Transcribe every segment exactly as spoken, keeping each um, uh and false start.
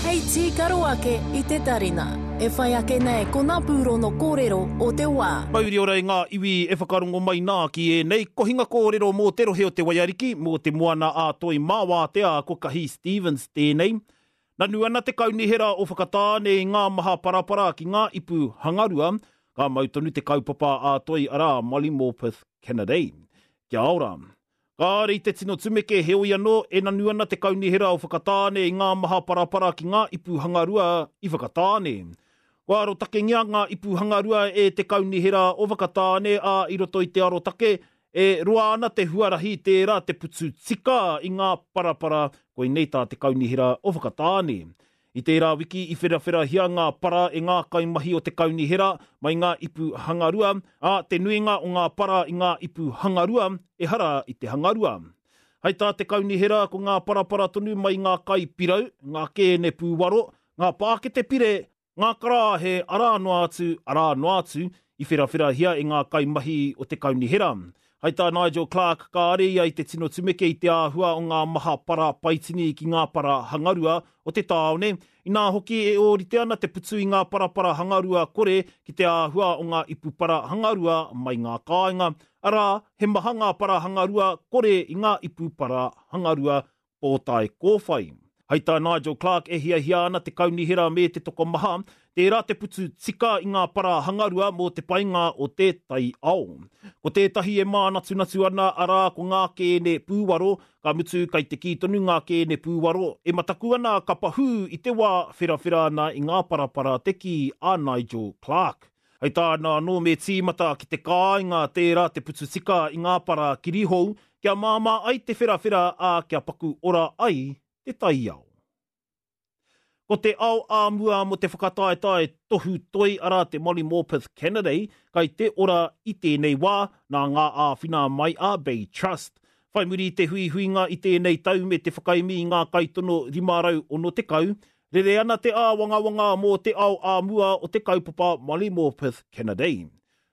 Hei tīkaro ake i te tarina. E whai ake nei ko ngā pūrono kōrero o te wā. Mauri ora i ngā iwi e whakarongo mai nā ki ēnei kohinga kōrero mō te rohe o te Waiariki, mō te moana a Toi Māwātea ko Kahi Stevens tēnei. Nanu ana te kaunihera o Whakatāne i ngā maha parapara ki ngā ipu hangarua, ka mau tonu te kaupapa a Toi arā Molly Morpeth Kennedy. Kia ora. Kāre i te tino tumeke heoi anō e nanu ana te kaunihera o Whakatāne i ngā maha parapara ki ngā ipu hangarua i Whakatāne. Kua arotakengia ngā ipu hangarua e te kaunihera o Whakatāne a i roto i te arotake e roa ana te huarahi tērā te putu tika i ngā parapara koinei tā te kaunihera o Whakatāne. I tērā wiki i wherawherahia ngā para e ngā kaimahi o te kaunihera mai ngā ipu hangarua, a te nuinga o ngā para i ngā ipu hangarua ehara i te hangarua. Hai tā te kaunihera ko ngā parapara tonu mai ngā kai pirau, ngā kēne pūwaro, ngā pākete pire, ngā karāhe arā noa atu, arā noa atu, i wherawherahia e ngā kaimahi o te kaunihera. Hai tā Nigel Clark, kāre ia i te tino tumeke i te āhua o ngā maha para paitini ki ngā para hangarua o te tāone, inā hoki e ōrite ana te putu i ngā parapara hangarua kore ki te āhua o ngā ipu para hangarua mai ngā kāinga. Arā, he maha ngā para hangarua kore i ngā ipu para hangarua pōtae kōwhai. Hai tā Nigel Clark e hiahia ana te kaunihera me te tokomaha, tērā te putu tika i ngā para hangarua mō te painga o te taiao. Ko tētahi e mānatunatu ana arā ko ngā kēne pūwaro, ka mutu kai te kī tonu ngā kēne pūwaro, e mataku ana ka pahū i te wā wherawhera ana i ngā parapara te kī a Nigel Clark. Hei tāna anō me tīmata ki te kāinga tērā te putu tika i ngā para kirihou, kia māmā ai te wherawhera a kia paku ora ai te taiao. Ko te ao āmua mō te whakataetae tohu toi arā te Molly Morpeth Kennedy kai te ora i tēnei wā nā ngā āwhina mai a Bay Trust. Whai muri i te huihuinga i tēnei tau me te whakaemi i ngā kaitono rima rau ono tekau, rere ana te āwangawanga mō te ao āmua o te kaupapa Molly Morpeth Kennedy.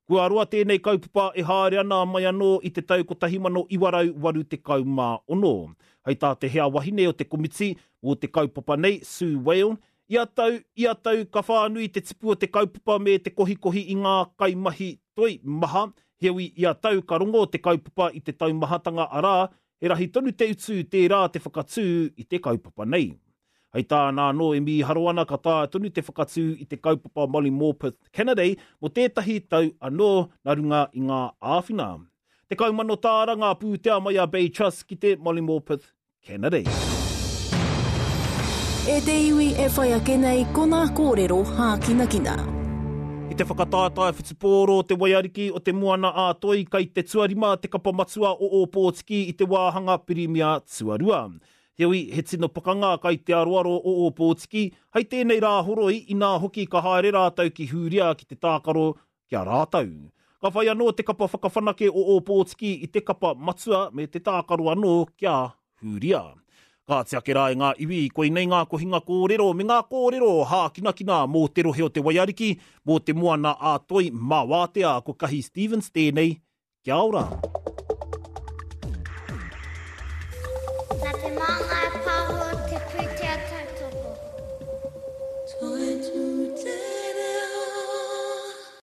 Kua roa tēnei kaupapa e haere ana mai anō i te tau kotahi mano iwa rau waru tekau mā ono. Hei tā te hea wahine o te komiti mō te kaupapa nei, Sue Whale, ia tau, ia tau ka whānui te tipu o te kaupapa me te kohikohi i ngā kaimahi toi maha, heoi ia tau ka rongo te kaupapa i te taumahatanga arā, he rahi tonu te utu tērā te whakatū i te kaupapa nei. Hei tāna anō e mīharo ana ka taea tonu te whakatū i te kaupapa Molly Morpeth Kennedy mō tētahi tau anō nā runga i ngā āwhina. Tekau mano tāra ngā pūtea mai a Bay Trust ki te Molly Morpeth Kennedy. E te iwi e whai ake nei ko ngā kōrero hākinakina. I te whakataetae whutupōro o te Waiariki o te Moana a Toi kai te tuarima te kapa matua o Ōpōtiki i te wāhanga Pirimia tuarua. Heoi, he tino pakanga kai te aroaro o Ōpōtiki, hei tēnei rā horoi inā hoki ka haere rātou ki Hūria ki te tākaro ki a rātou. Ka whai anō te kapa whakawhanake o Ōpōtiki i te kapa matua me te tākaro anō kia Hūria. Ka ake rā e ngā iwi, koinei ngā kohinga kōrero me ngā kōrero hākinakina mō te rohe o te Waiariki, mō te moana a Toi Māwātea, ko Kahi Stevens tēnei, kia ora.